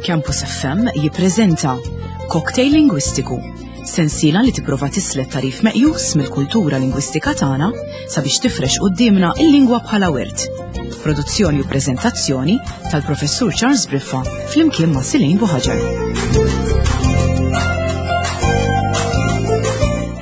Campus FM jippreżenta Cocktail Lingwistiku, sensiela li tipprova tislet tarif meqjus mill-kultura lingwistika tagħna sabiex tifrex quddiemna il-lingwa bħala wirt. Produzzjoni u preżentazzjoni tal-Professur Charles Briffa flimkien ma' Silejn Buħaġar.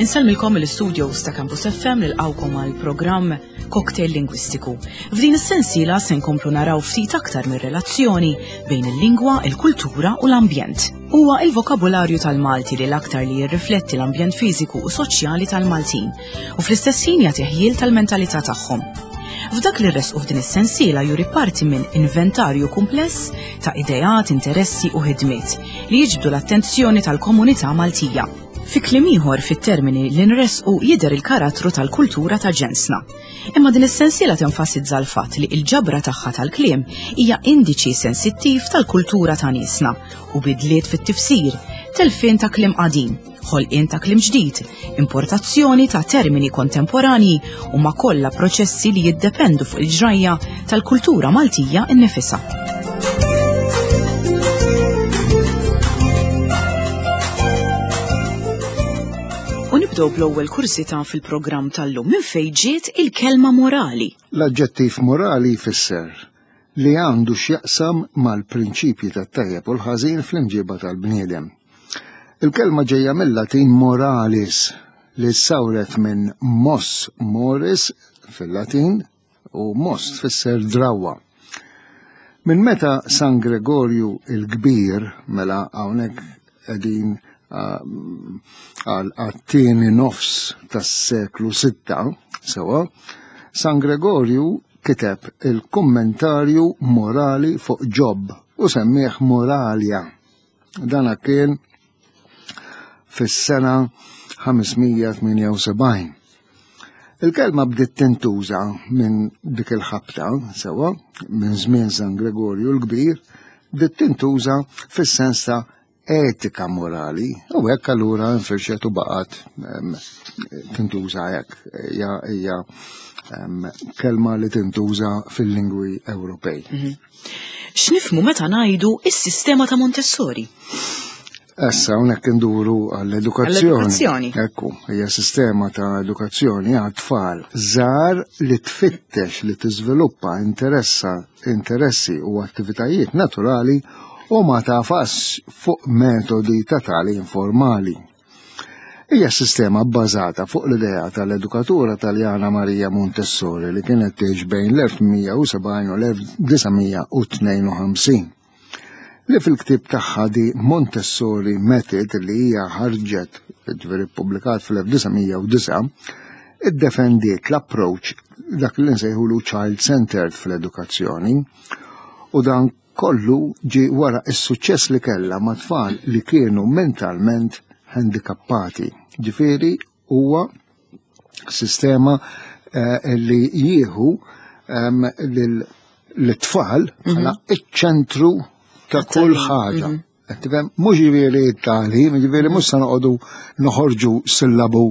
Insellmilkom mill-studios ta' Campus FM nilqawkom għal programm Cocktail Lingwistiku. F'din is-sensiela se nkomplu naraw ftit aktar mir-relazzjoni bejn il-lingwa, il-kultura u l-ambjent. Huwa il-vokabularju tal-Malti li l-aktar li jirrifletti l-ambjent fiżiku u soċjali tal-Maltin u fl-istess ħin jagħti ħjiel tal-mentalità tagħhom. F'dak li rresqu f'din is-sensiela juri parti minn inventarju kumpless ta' ideat, interessi u ħidmiet li jiġbdu l-attenzjoni tal-komunità Maltija. Fi kliem ieħor fit-termini li nressqu jidher il-karattru tal-kultura ta' ġensna. Imma din is-sensiela tenfasizza l-fatt li l-ġabra tagħha tal-kliem hija indiċi sensittiv tal-kultura ta' niesna u bidliet fit-tifsir, telfien ta' kliem qadim, ħolqien ta' kliem ġdid, importazzjoni ta' termini kontemporanji huma kollha proċessi li jiddependu fuq il-ġrajja tal-kultura Maltija nnifisha. U nibdew bl-ewwel kursità fil-programm tal-lum minn fejn ġiet il-kelma morali. L-aġġettiv morali jfisser li għandu x'jaqsam mal-prinċipji tat-tajjeb u l-ħażin fl-imġiba tal-bniedem. Il-kelma ġejja mill-Latin moralis li ssawret minn mos moris fil-Latin u mos tfisser drawwa. Minn meta San Gregorju il-Kbir, mela hawnhekk qegħdin għal għat-tieni nofs tas-seklu 6, sewa, San Gregorju kiteb il-kummentarju morali fuq Ġob u semmih Moralia. Dana kien fis-sena 578. Il-kelma bdiet tintuża minn dik il-ħabta, sewa, minn żmien San Gregorju l-Kbir, bdiet tintuża fis-sens ta' etika morali, u hekk allura nfirxet u baqgħet tintuża hekk. Hija kelma li tintuża fil-lingwi Ewropej. Mhm. X'nifhmu meta ngħidu is-sistema ta' Montessori? Issa hawnhekk induru għall-edukazzjoni. Ekku, hija sistema ta' edukazzjoni għat-tfal żgħar li tfittex li tiżviluppa interessa interessi u attivitajiet naturali u ma tafas fuq metodi ta' tali informali. Hija sistema bbażata fuq l-idea tal-edukatura Taljana Maria Montessori li kienet tgħix bejn l-1870 u l-1952. Li fil-ktieb tagħha di Montessori Method li hija ħarġet ġifieri ppubblikat fl-1909 iddefendiet l-approach dak li nsejħulu child-centered fl-edukazzjoni u dan Kollu ġie wara s-suċċess li kellha ma' tfal li kienu mentalment handikappati. Ġifieri huwa sistema eh, li jieħu ehm, l-tfal bħala mhm. iċ-ċentru ta' kull ħaġa. Mhm. Tifhem, mhux ġifieri t-tagħlim, ġifieri mhux se noqogħdu noħorġu sillabu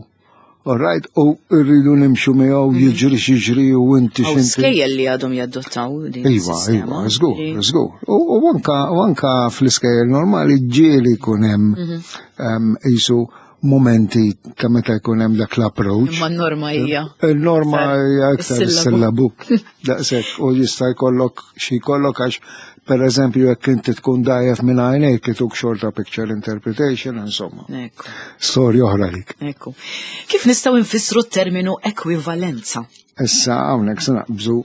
All right, u rridu nimxu miegħu mhm. jiġri xiġri u inti x'inti. Skejjel li għadhom jaddottaw din. Iva, iva, żgur, żgur. U anka u anka fl-iskejjel normali ġieli jkun hemm mhm. qisu momenti ta' meta jkun hemm dak l-approach. Imma n-norma hija. Il-norma hija iktar is-sillabu. Daqshekk u jista' jkollok xi jkollok għax Per eżempju, jekk inti tkun dajef minn għajnejk ituk xorta picture interpretation, insomma. Ekku. Storja oħra dik. Ekku. Kif nistgħu nfissru t-terminu ekwivalenza? Issa hawnhekk se naqbżu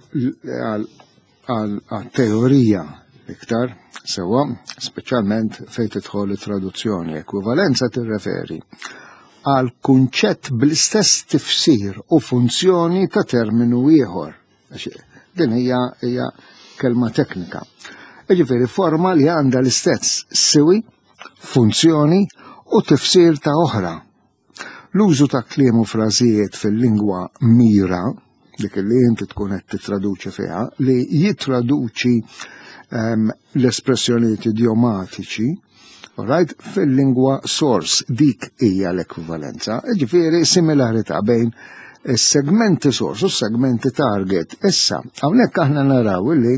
għal teorija iktar sewwa, speċjalment fejn tidħol it-traduzzjoni. Ekwivalenza tirreferi għal kunċett bl-istess tifsir u funzjoni ta' terminu ieħor. Din hija hija kelma teknika. Jiġifieri forma li għandha l-istess siwi, funzjoni u tifsir ta' oħra. L-użu ta' kliem u frażijiet fil-lingwa mira, dik li inti tkun qed titraduċi fiha, li jitraduċi ehm, l-espressjonijiet idiomatiċi, right, fil-lingwa source dik hija l-ekwivalenza, ġifieri similarità bejn. Is-segmenti source u s-segmenti target. Issa, hawnhekk aħna naraw li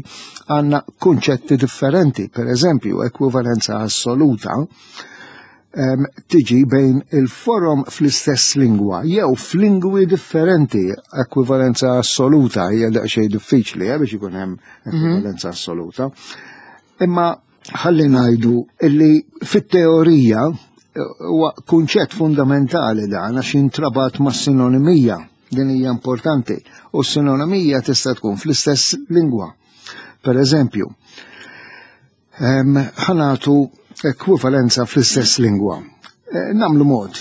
għandna kunċetti differenti, per eżempju, ekwivalenza assoluta tiġi bejn il-forom fl-istess lingwa jew f'lingwi differenti. Ekwivalenza assoluta hija daqsxejn diffiċli eh, biex ikun hemm mhm. ekwivalenza assoluta. Imma ħalli ngħidu illi fit-teorija eh, huwa kunċett fundamentali dan għax jintrabat ma' sinonimija. Din hija importanti. U s-sinonimija tista' tkun fl-istess lingwa. Per eżempju, ħanatu ekwivalenza fl-istess lingwa. Eh, namlu mod,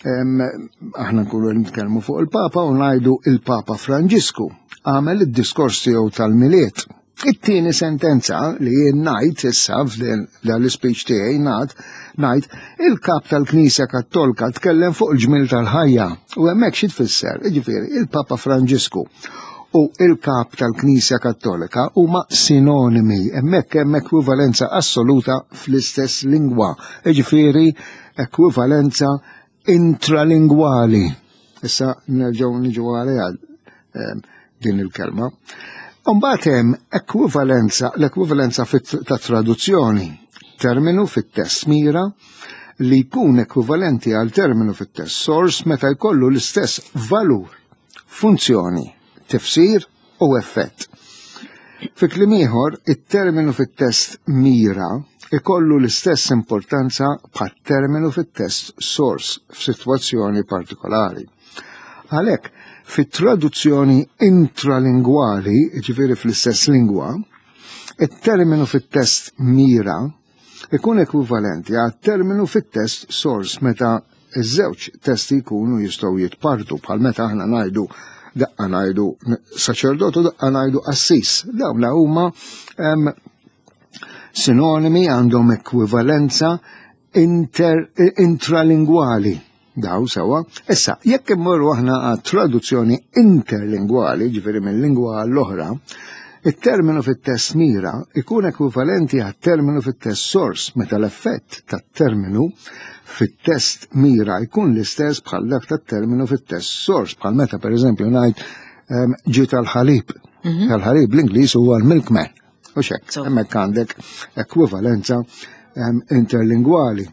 aħna nkunu nitkellmu fuq il-Papa u ngħidu il-Papa Franġisku għamel id-diskors tiegħu tal-Miliet. It-tieni sentenza li jien ngħid issa f'dan l-ispeech tiegħi ngħid ngħid il-kap tal-Knisja Kattolka tkellem fuq il-ġmil tal-ħajja u hemmhekk xi tfisser, jiġifieri il-Papa Franġisku u il-kap tal-Knisja Kattolika huma sinonimi, hemmhekk hemm ekwivalenza assoluta fl-istess lingwa, jiġifieri ekwivalenza intralingwali. Issa nerġgħu niġu għaliha ehm, din il-kelma. Mbagħad hemm ekwivalenza, l-ekwivalenza ta' traduzzjoni, terminu fit-test mira li jkun ekwivalenti għal terminu fit-test source meta jkollu l-istess valur, funzjoni, tifsir u effett. Fi kliem ieħor, it-terminu fit-test mira ikollu l-istess importanza bħat-terminu fit-test source f'sitwazzjoni partikolari. Għalhekk, fit-traduzzjoni intralingwali, jiġifieri fl-istess lingwa, it-terminu fit-test mira ikun ekwivalenti għat-terminu fit-test source meta iż-żewġ testi jkunu jistgħu jitpartu bħal meta aħna ngħidu daqqa ngħidu saċerdot u daqqa ngħidu qassis. Dawn huma sinonimi għandhom ekwivalenza inter, intralingwali. Daw sewa. Issa, jekk immorru aħna għat traduzzjoni interlingwali, ġifieri minn lingwa għall-oħra, it-terminu fit-test mira ikun ekwivalenti għat-terminu fit-test source meta l-effett tat-terminu fit-test mira jkun l-istess bħal dak tat-terminu fit-test source, bħal meta pereżempju ngħid ehm, ġi tal-ħalib. Mhm. Tal-ħalib l-Ingliż huwa l-milkman. U xek, hemmhekk għandek ekwivalenza ehm, interlingwali.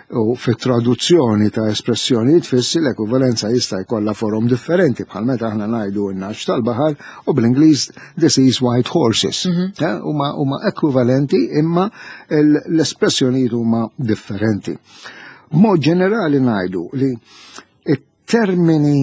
U fit-traduzzjoni ta' espressjonijiet fissi l-ekwivalenza jista' jkollha forom differenti bħal meta aħna ngħidu n-naċ tal-baħar u bl-Ingliż this is white horses. Mhm. Eh, huma huma ekwivalenti imma l-espressjonijiet huma differenti. B'mod ġenerali ngħidu li it-termini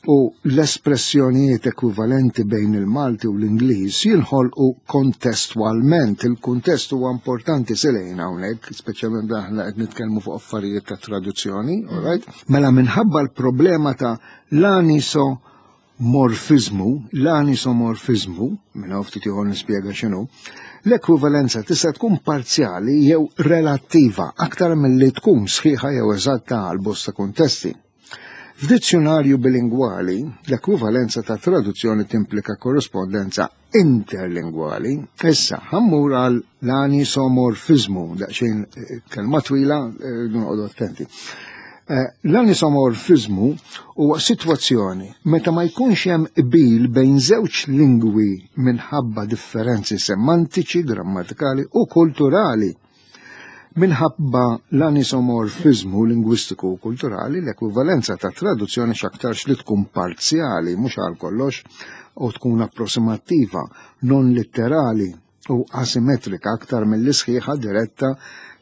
u l-espressjonijiet ekwivalenti bejn il-Malti u l-Ingliż jinħolqu kontestwalment. Il-kuntest huwa importanti silejn hawnhekk, speċjalment aħna qed nitkellmu fuq affarijiet ta' traduzzjoni, all right? Mela minħabba l-problema ta' l-anisomorfiżmu, l-anisomorfiżmu, minn hawn ftit ieħor nispjega x'inhu, l-ekwivalenza tista' tkun parzjali jew relattiva aktar milli tkun sħiħa jew eżatta għal bosta kuntesti. F'dizzjunarju bilingwali, l-ekwivalenza ta' traduzzjoni timplika korrispondenza interlingwali. Issa, ħammur għal l-anisomorfiżmu, daqsxejn eh, kelma twila, eh, noqogħdu attenti. Eh, l-anisomorfiżmu huwa sitwazzjoni meta ma jkunx hemm qbil bejn żewġ lingwi minħabba differenzi semantiċi, grammatikali u kulturali. Minħabba l-anisomorfiżmu lingwistiku u kulturali, l-ekwivalenza ta' traduzzjoni x'aktarx li tkun parzjali, mhux għal kollox, u tkun approssimattiva, non litterali u asimetrika aktar milli sħiħa diretta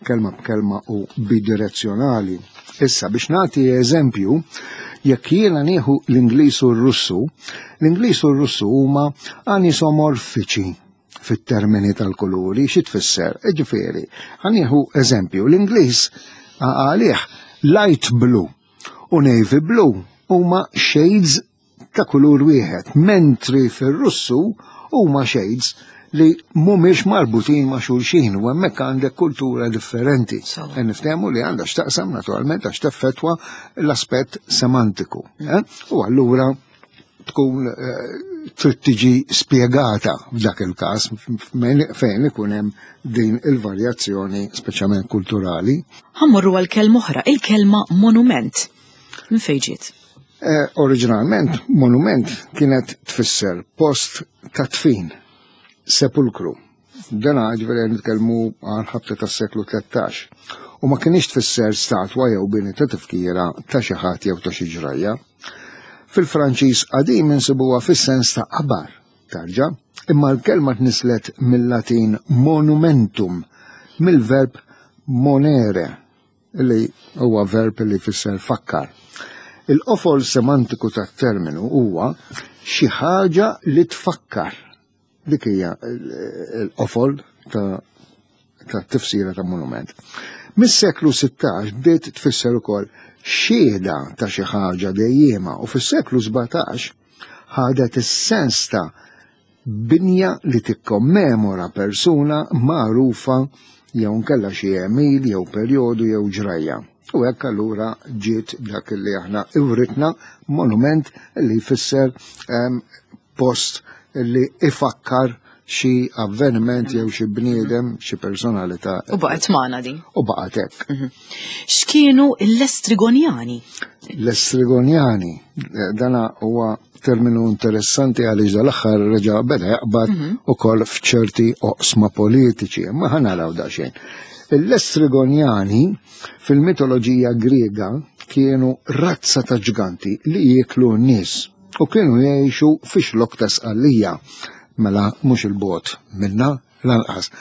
kelma b'kelma u bidirezzjonali. Issa biex nagħti eżempju, jekk jiena nieħu l-Ingliż u r-Russu, l-Ingliż u r-Russu huma anisomorfiċi fit-termini tal-kuluri, xi tfisser? Ġifieri, ħanieħu eżempju, l-Ingliż għalih light blue u navy blue huma shades ta' kulur wieħed, mentri fir-Russu huma shades li mhumiex marbutin ma' xulxin u hemmhekk għandek kultura differenti. E niftehmu li għandha x'taqsam naturalment għax teffettwa l-aspett semantiku. Eh? U allura tkun eh, trid tiġi spjegata f'dak il-każ fejn ikun hemm din il-varjazzjoni speċjalment kulturali. Ħammorru għal kelma oħra, il-kelma monument. Minn fejn ġiet? Eh, oriġinalment, monument kienet tfisser post ta' tfin, sepulkru. Dana ġifieri nitkellmu għal ħabta tas-seklu 13. U ma kienx tfisser statwa jew bini ta' tifkira ta' xi ħadd jew ta' xi ġrajja. Fil-Franċiż qadim insibuha fis-sens ta' qabar, tarġa, imma l-kelma tnislet mill-Latin monumentum, mill-verb monere, li huwa verb li jfisser fakkar. Il-qofol semantiku tat-terminu huwa xi ħaġa li tfakkar. Dik hija l-qofol ta' ta' tifsira ta' monument. Mis-seklu 16 bdiet tfisser ukoll xhieda ta' xi ħaġa dejjiema u fis-seklu 17 ħadet is-sens ta' binja li tikkommemora persuna magħrufa jew nkella xi għemil jew perjodu jew ġrajja. U hekk allura ġiet dak li aħna iwritna monument li jfisser ehm, post li ifakkar xi avveniment jew xi bniedem, xi personalità. U baqgħet magħna din. U baqgħet hekk. Mhm. X'kienu l-Estrigonjani? L-Estrigonjani, eh, dana huwa terminu interessanti għaliex dal-aħħar reġa' beda jaqbad mhm. ukoll f'ċerti oqsma politiċi, imma ħa naraw daqsxejn. L-Estrigonjani fil-mitoloġija Griega kienu razza ta' ġganti li jieklu n-nies u kienu jgħixu fi xlok ta' Sqallija, mela mhux il-bot minna lanqas.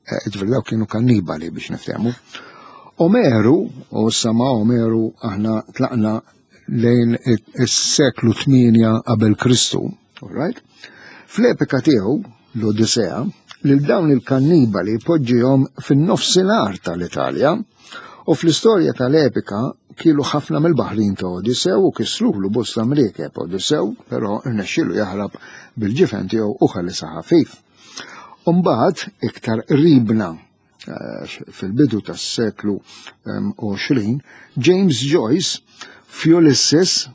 Eh, ġifieri dawk kienu kannibali biex niftehmu. Omeru, u sama Omeru aħna tlaqna lejn is-seklu 8 qabel Kristu, all right? Fl-epika tiegħu, l-Odisea, lil dawn il-kannibali poġġihom fin-nofsinhar tal-Italja u fl-istorja tal-epika kielu ħafna mill-baħrin ta' Odissew u kisrulu bosta mriekeb Odissew, però rnexxielu jaħrab bil-ġifen tiegħu u ħelisha ħafif. Umbagħad iktar qribna eh, fil-bidu tas-seklu 20, James Joyce f'Ulysses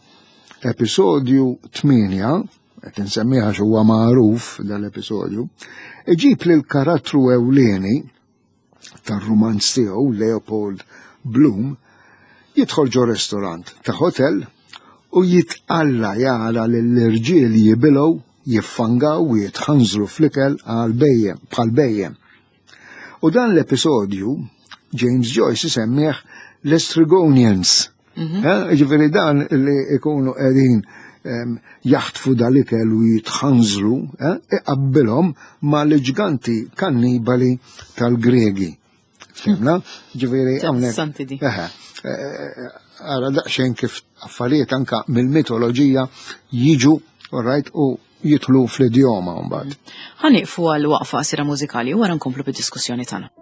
episodju 8, qed insemmiha huwa magħruf dal-episodju, iġib lil karattru ewlieni tar-rumanz tiegħu Leopold Bloom jidħol ġo restorant ta' hotel u jitqalla jara lill-irġiel jibilgħu, jiffangaw u jitħanżru fl-ikel għal bejjem bħal bejjem. U dan l-episodju James Joyce isemmih l-Estrigonians. Mhm. Eh, ġifieri dan li ikunu qegħdin jaħtfu dal-ikel u jitħanżru, eh, iqabbilhom ma l-ġganti kannibali tal-Gregi. Fimna? Ġifieri hawnhekk. Eh, ara daqsxejn kif affarijiet anka mill-mitoloġija jiġu, all right, u jidħlu fl-idjoma mbagħad. Ħa nieqfu għal waqfa qasira mużikali u wara nkomplu bid-diskussjoni tagħna.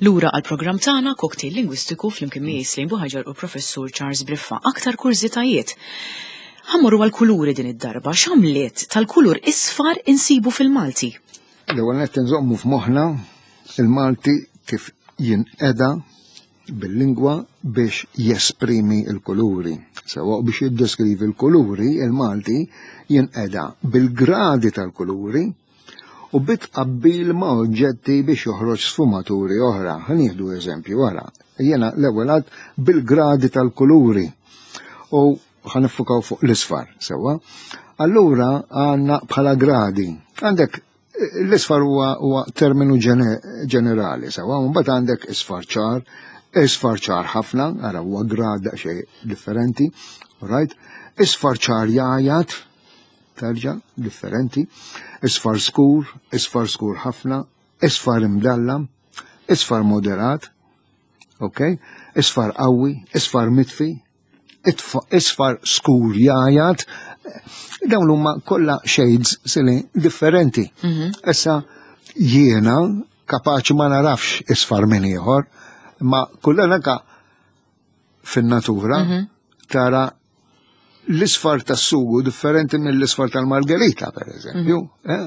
Lura għall-programm tagħna Cocktail Lingwistiku flimkien miegħi Slim Buħaġar u Professur Charles Briffa. Aktar kurżitajiet. Ħammorru għall-kuluri din id-darba. X'għamliet tal-kulur isfar insibu fil-Malti? L-ewwel nett inżommu f'moħħna il-Malti kif jinqeda bil-lingwa biex jesprimi l-kuluri. Sewa biex jiddeskrivi l-kuluri, il-Malti jinqeda bil-gradi tal-kuluri u bi tqabbil ma' oġġetti biex joħroġ sfumaturi oħra. Ħa nieħdu eżempju wara. Jiena l-ewwel għad bil-gradi tal-kuluri u ħa niffukaw fuq l-isfar, sewwa. Allura għandna bħala gradi. Għandek l-isfar huwa terminu ġenerali, sewwa, mbagħad għandek isfar ċar, isfar ċar ħafna, ara huwa grad daqsxejn differenti, right? Isfar ċar jgħajat, terġa' differenti, isfar skur, isfar skur ħafna, isfar imdallam, isfar moderat, ok? Isfar qawwi, isfar mitfi, isfar skur jajat, dawn huma kollha shades sili differenti. Issa jiena kapaċi ma narafx isfar minn ieħor, ma kullana ka fin-natura tara l-isfar tas-sugu differenti mill-isfar tal-margherita, per eżempju. Eh,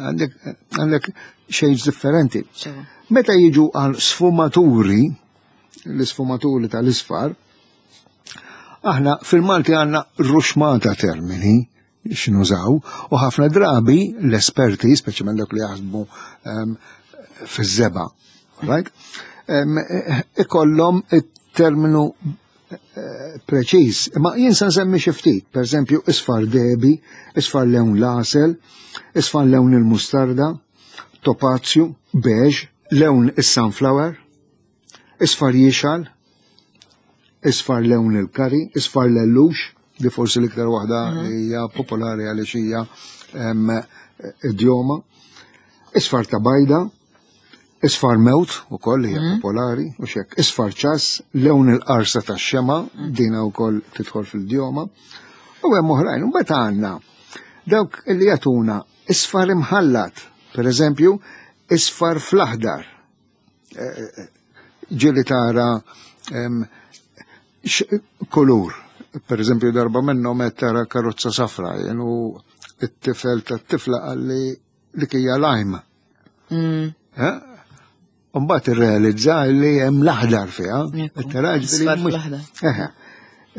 għandek shades differenti. Meta jiġu għal sfumaturi, l-isfumaturi tal-isfar, aħna fil-Malti għandna ruxmata termini x'nużaw u ħafna drabi l-esperti, speċjalment dak li jaħdmu ehm, fiż-żeba, right? Ehm, ikollhom it-terminu eh, preċiż. Ma jien se nsemmi xi ftit, pereżempju isfar debi, isfar lewn l-għasel, isfar lewn il-mustarda, topazju, beige, lewn is-sunflower, Isfar jixgħal, isfar lewn il-kari, isfar lellux, li forsi l-iktar waħda mhm. li hija popolari għaliex hija idjoma. Isfar ta' bajda, isfar mewt ukoll hija mhm. popolari u xek. Isfar ċas, lewn il-qarsa tax-xema, mhm. dina wkoll tidħol fil-djoma. U hemm oħrajn, u mbagħad għandna dawk li jagħtuna isfar imħallat, per eżempju, isfar fl-aħdar, ġieli tara kulur. Per eżempju, darba minnhom qed tara karozza safra, jenu it-tifel tat-tifla qalli li kija lajm. Mm. Eh? Mbagħad irrealizza li hemm l-aħdar fiha.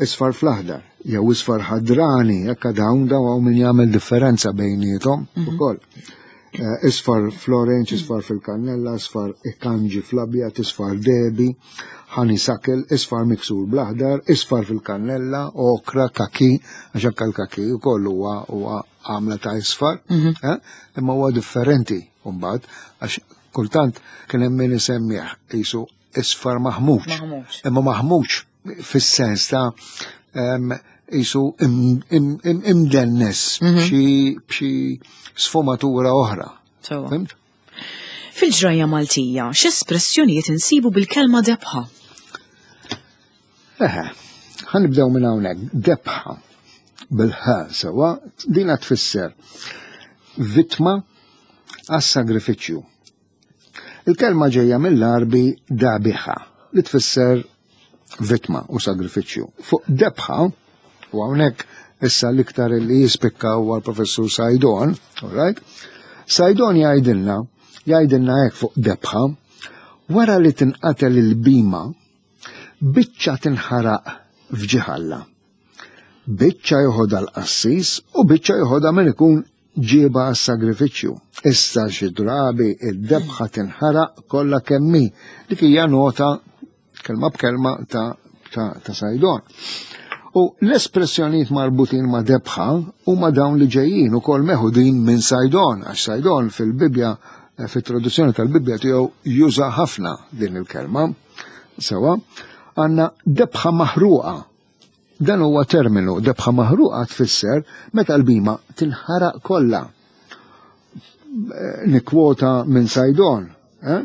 Isfar fl-aħdar, jew isfar ħadrani, hekk dawn daw min jagħmel differenza bejniethom mhm. ukoll. Eh, isfar fl-orange, isfar fil-kannella, isfar ikanġi fl-abjad, isfar debi, honeysuckle, isfar miksur bl-aħdar, isfar fil-kannella, okra, kaki, għax anke l-kaki wkoll huwa huwa għamla ta' isfar, mhm. eh, imma huwa differenti mbagħad għax kultant kien hemm min isemmih qisu isfar maħmuġ. Imma maħmuġ fis-sens ta' jisu imdennes mhm. b'xi sfumatura oħra. Fimt? Fil-ġrajja Maltija, x'espressjonijiet insibu bil-kelma debħa? Eħe, ħanibdew minn hawnhekk. Debħa bil-ħa sewa dina tfisser vittma għas-sagrifiċċju. Il-kelma ġejja mill-Għarbi dabiħa, li tfisser vittma u sagrifiċċju. Fuq debħa, u hawnhekk issa l-iktar li jispikka huwa l-professur Sajdon, all right? Sajdon jgħidilna, jgħidilna hekk fuq debħa, wara li tinqatel il-bima, biċċa tinħaraq f'ġiħalla. Biċċa joħodha l-qassis u biċċa joħodha min ikun ġiebha għas-sagrifiċċju. Issa xi drabi id-debħa tinħaraq kollha kemm hi. Dik hija nota kelma b'kelma ta' ta', ta Sajdon. U l-espressjonijiet marbutin ma' debħa huma dawn li ġejjin ukoll meħudin minn Sajdon, għax Sajdon fil-Bibbja eh, fit-traduzzjoni tal-Bibbja tiegħu juża ħafna din il-kelma. Sewa, għandna debħa maħruqa Dan huwa terminu, debħa maħruqa tfisser meta l-bima tinħaraq kollha. Nikkwota minn Sajdon, eh?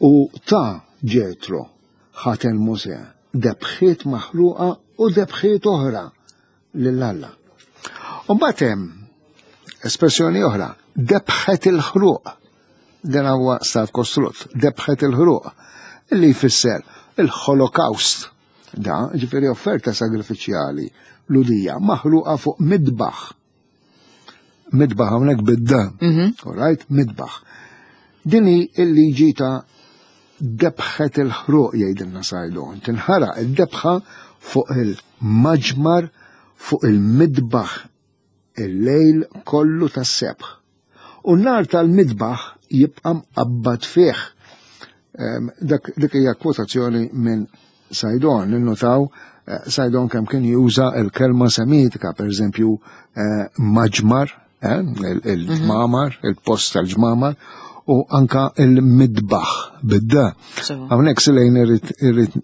U ta' Ġetro ħaten Mosè debħiet maħruqa u debħiet oħra lil Alla. U mbagħad hemm espressjoni oħra, debħet il-ħruq. Dan huwa stat kostrut, debħet il-ħruq. Illi jfisser il-Holocaust. Da, ġifieri offerta sagrifiċjali ludija maħruqa fuq midbaħ. Midbaħ hawnhekk bid-da. Mhm. All right, midbaħ. Din hi l-liġi ta' debħet il-ħruq jgħidilna Sajdon. Tinħaraq id-debħa fuq il-maġmar fuq il-midbaħ il-lejl kollu tas-sebħ. U n-nar tal-midbaħ jibqa' mqabbad fih. Dak dik hija kwotazzjoni minn Sajdon, ninnotaw eh, Sajdon kemm kien juża l-kelma semitika, per eżempju eh, maġmar, eh, il-ġmamar, mhm. il-post tal-ġmamar, u anka il-midbaħ bidda. Hawnhekk silejn irrid irrid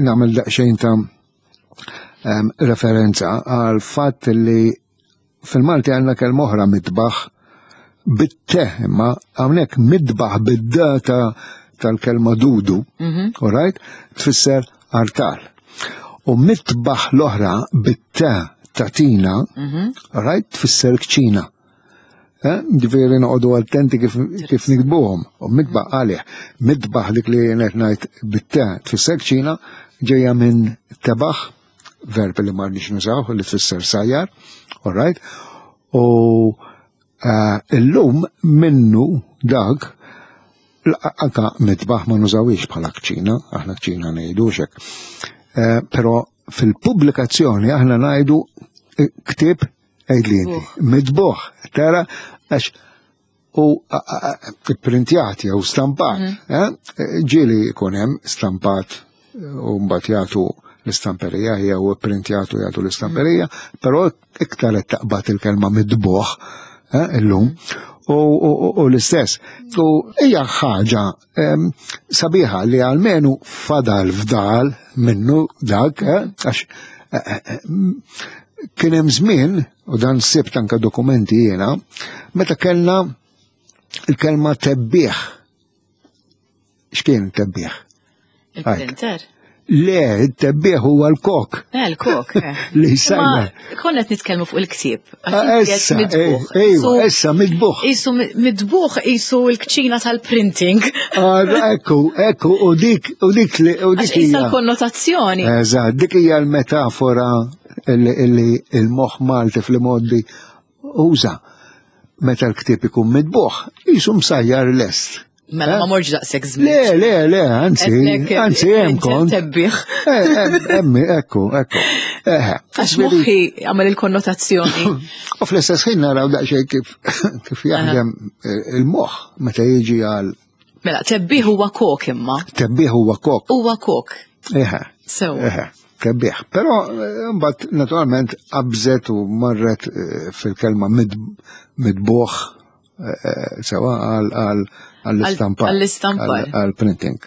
nagħmel daqsxejn ta' referenza għal fatt li fil-Malti għandna kelma oħra midbaħ bit-te imma hawnhekk midbaħ bid-data tal-kelma dudu, mm all right, tfisser artal. U mitbaħ l-oħra bit-te ta' tina, mm all right, tfisser kċina. Eh, ġifieri noqogħdu attenti kif, kif nikbuhom. U mitbaħ għalih, mitbaħ dik li qed ngħid bit-te tfisser kċina ġejja minn tebaħ, verb li ma rniex nużaw li tfisser sajjar, all right? U eh, illum minnu dak anka mitbaħ ma nużawix bħala kċina, aħna kċina ngħidu xek. Eh, però fil-pubblikazzjoni aħna ngħidu eh, ktieb għidli inti, mitbuħ, tara għax u printjat jew stampat. Mhm. Eh? Ġieli jkun hemm stampat u mbagħad jagħtu l-istamperija jew printjatu jagħtu l-istamperija, mhm. però iktar qed taqbad il-kelma midbuħ eh, illum. U l-istess. U hija ħaġa sabiħa li għalmenu fadal fdal minnu dak, eh, għax kien hemm żmien u dan sibt anka dokumenti jiena, meta kellna il-kelma tebbieħ. X'kien tebbieħ? Il-printer. Le, it-tebbieħ huwa l-kok. Eh, l-kok. Eh. Li sajna. Konna qed nitkellmu fuq il-ktieb. Ah, issa, eh, ejwa, issa midbuħ. Isu midbuħ isu l-kċina tal-printing. Ah, ekku, ekku, u dik, u dik li, u dik. Issa l-konnotazzjoni. Eżatt, dik hija l-metafora illi il-moħħ Malti fl-imoddi uża meta l-ktieb ikun mitbuħ, jisu msajjar lest. Mela ma eh? morġ daqshekk żmien. Le, le, le, anzi, eh, anzi hemm kont. Tebbiħ. Eh, hemm, ekku, ekku. Għax moħħi għamel il-konnotazzjoni. U fl-istess ħin naraw daqsxejn kif kif jaħdem il-moħħ meta jiġi għal Mela, tebbiħ huwa kok imma. Tebbiħ huwa kok. Huwa kok. Eħe. Sew. Eħe, tebbiħ. Però eh, mbagħad naturalment qabżet u marret eh, fil-kelma midbuħ eh, sewa għal għall-istampar. Għall-istampar. Għall-printing.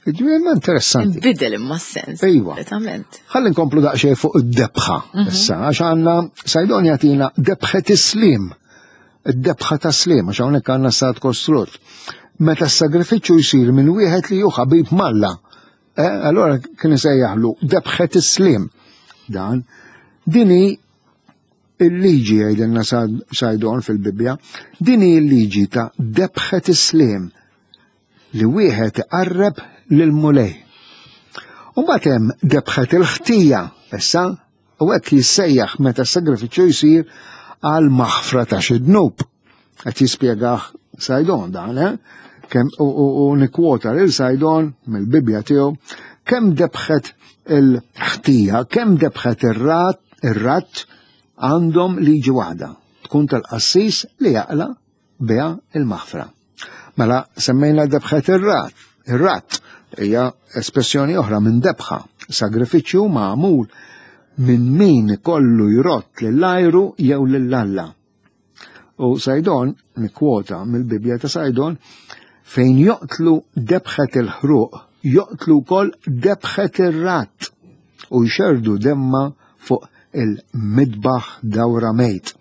Ġifieri ma interessanti. Bidel imma s-sens. Iva. Ħalli nkomplu daqsxejn fuq id-debħa. Mhm. Issa, għax għandna Sajdon jagħtina debħet islim id-debħa ta' sliem, għax hawnhekk għandna stat kostrut. Meta s-sagrifiċċju jsir minn wieħed li hu ħabib malla, eh, allora kien isejjaħlu debħet is-sliem. Dan dini il-liġi jgħidilna Sajdon fil-Bibbja, dini il-liġi ta' debħet is-sliem li wieħed iqarreb lill-Mulej. U mbagħad hemm debħet il-ħtija, issa U hekk jissejjaħ meta s-sagrifiċċju jsir għal maħfra ta' xi dnub. Qed jispjegah Sajdon dan, eh? Kemm u, u, u nikkwota lil Sajdon mill-Bibbja tiegħu kemm debħet il-ħtija, kemm debħet ir-rat, ir-ratt għandhom liġi waħda, tkun tal-qassis li jaqla biha il-maħfra. Mela semmejna debħet ir-rat. Ir-rat hija espressjoni oħra minn debħa, sagrifiċċju magħmul minn min kollu jrott lill-ajru jew lill-Alla. U Sajdon, nikkwota mill-Bibbja ta' Sajdon, fejn joqtlu debħet il-ħruq, joqtlu wkoll debħet ir-rat u jxerdu demma fuq il-midbaħ dawra mejt.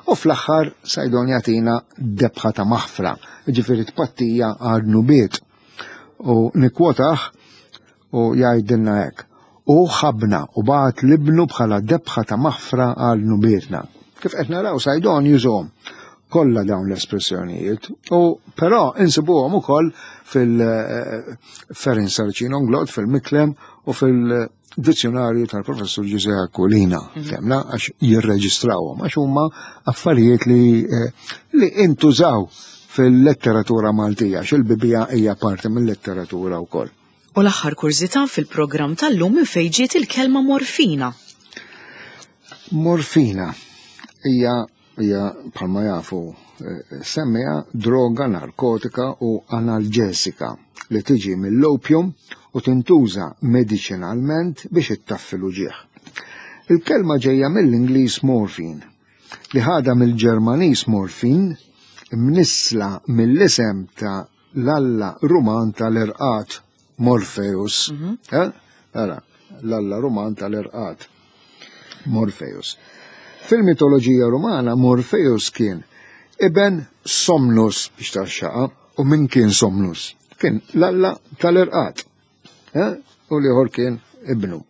U fl-aħħar Sajdon jagħtina debħa ta' maħfra, ġifieri tpattija għal dnubiet. U nikkwotah u jgħidilna hekk. U ħabna u bagħat libnu bħala debħa ta' maħfra għal dnubietna. Kif qed naraw Sajdon jużhom. Kollha dawn l-espressjonijiet. U però insibuhom ukoll fil-Ferin eh, Sarcino Nglot, fil-Miklem u fil-dizzjonarju tal-professur Ġuże Aquilina, mhm. temna għax jirreġistrawhom, għax huma affarijiet li, eh, li intużaw fil-letteratura Maltija, għax il-Bibija hija parti mill-letteratura wkoll. U l-aħħar kurżità fil-programm tal-lum minn fejn ġiet il-kelma morfina. Morfina hija hija bħalma jafu eh, semmija droga narkotika u analġesika li tiġi mill-opium u tintuża mediċinalment biex ittaffi l-uġigħ. Il-kelma ġejja mill-Ingliż morphine, li ħadha mill-Ġermaniż morfin, mnissla mill-isem ta' l-alla Ruman tal-irqad Morpheus. Mhm. Eh? Ara, l-alla Ruman tal-irqad Morpheus. Fil-mitoloġija Rumana Morpheus kien iben Somnus biex taxxaqa u min kien Somnus? Kien l-alla tal-irqad. Eh? U liħor kien ibnu.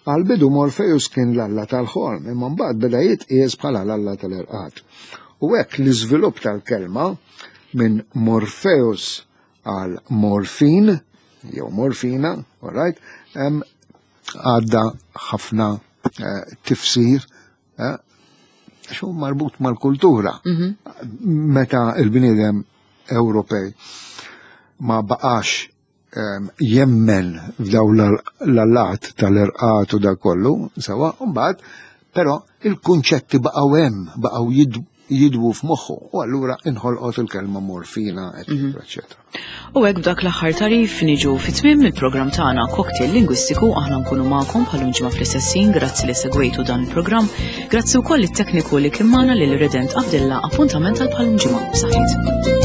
Għal-bidu Morpheus kien l-alla tal-ħolm, imma mbagħad beda jitqies bħala l-alla tal-irqad. U hekk l-iżvilupp tal-kelma minn Morpheus għal morfin, jew morfina, all right, għadda ħafna eh, tifsir, eh, xu marbut mal-kultura. Mhm. Meta il-bniedem Ewropej ma baqax jemmen f'daw l-allat tal-irqat u dak kollu, sewa, mbagħad però il-kunċetti baqgħu hemm, baqgħu jidwu f'moħħu u allura inħolqot il-kelma morfina, eċetera, mhm. eċetera. U hekk b'dak l-aħħar tarif niġu fit-tmiem il-programm tagħna Cocktail Lingwistiku aħna nkunu magħkom bħal ġimgħa fl-istess ħin, grazzi li segwejtu dan il-programm, grazzi wkoll it-tekniku li kien magħna lil Redent Abdilla appuntament għal bħal ġimgħa. Saħħit.